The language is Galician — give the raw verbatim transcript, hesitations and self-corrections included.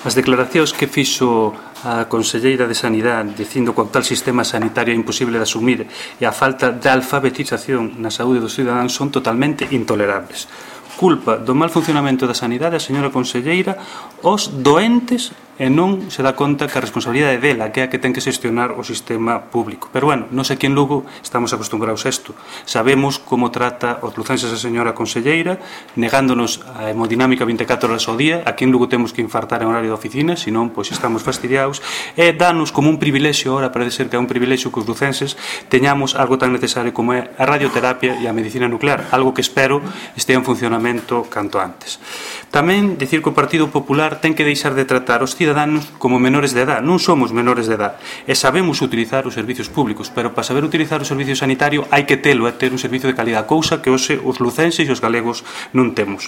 As declaracións que fixo a conselleira de Sanidade dicindo que o actual sistema sanitario é imposible de asumir e a falta de alfabetización na saúde dos cidadáns son totalmente intolerables. Culpa do mal funcionamento da sanidade a señora conselleira os doentes e non se dá conta que a responsabilidade dela, que é a que ten que xestionar o sistema público. Pero, bueno, non sei que en Lugo estamos acostumbrados a isto. Sabemos como trata os lucenses a señora conselleira, negándonos a hemodinámica vinte e catro horas ao día. Aquí en Lugo temos que infartar en horario de oficina, senón, pois, estamos fastidiados. E danos como un privilexio, ahora parece ser que é un privilexio que os lucenses teñamos algo tan necesario como é a radioterapia e a medicina nuclear, algo que espero estea en funcionamento canto antes. Tamén dicir que o Partido Popular ten que deixar de tratar os cidadáns como menores de edad. Non somos menores de edad e sabemos utilizar os servicios públicos, pero para saber utilizar o servicio sanitario hai que telo, é ter un servicio de calidad, cousa que hoxe os lucenses e os galegos non temos.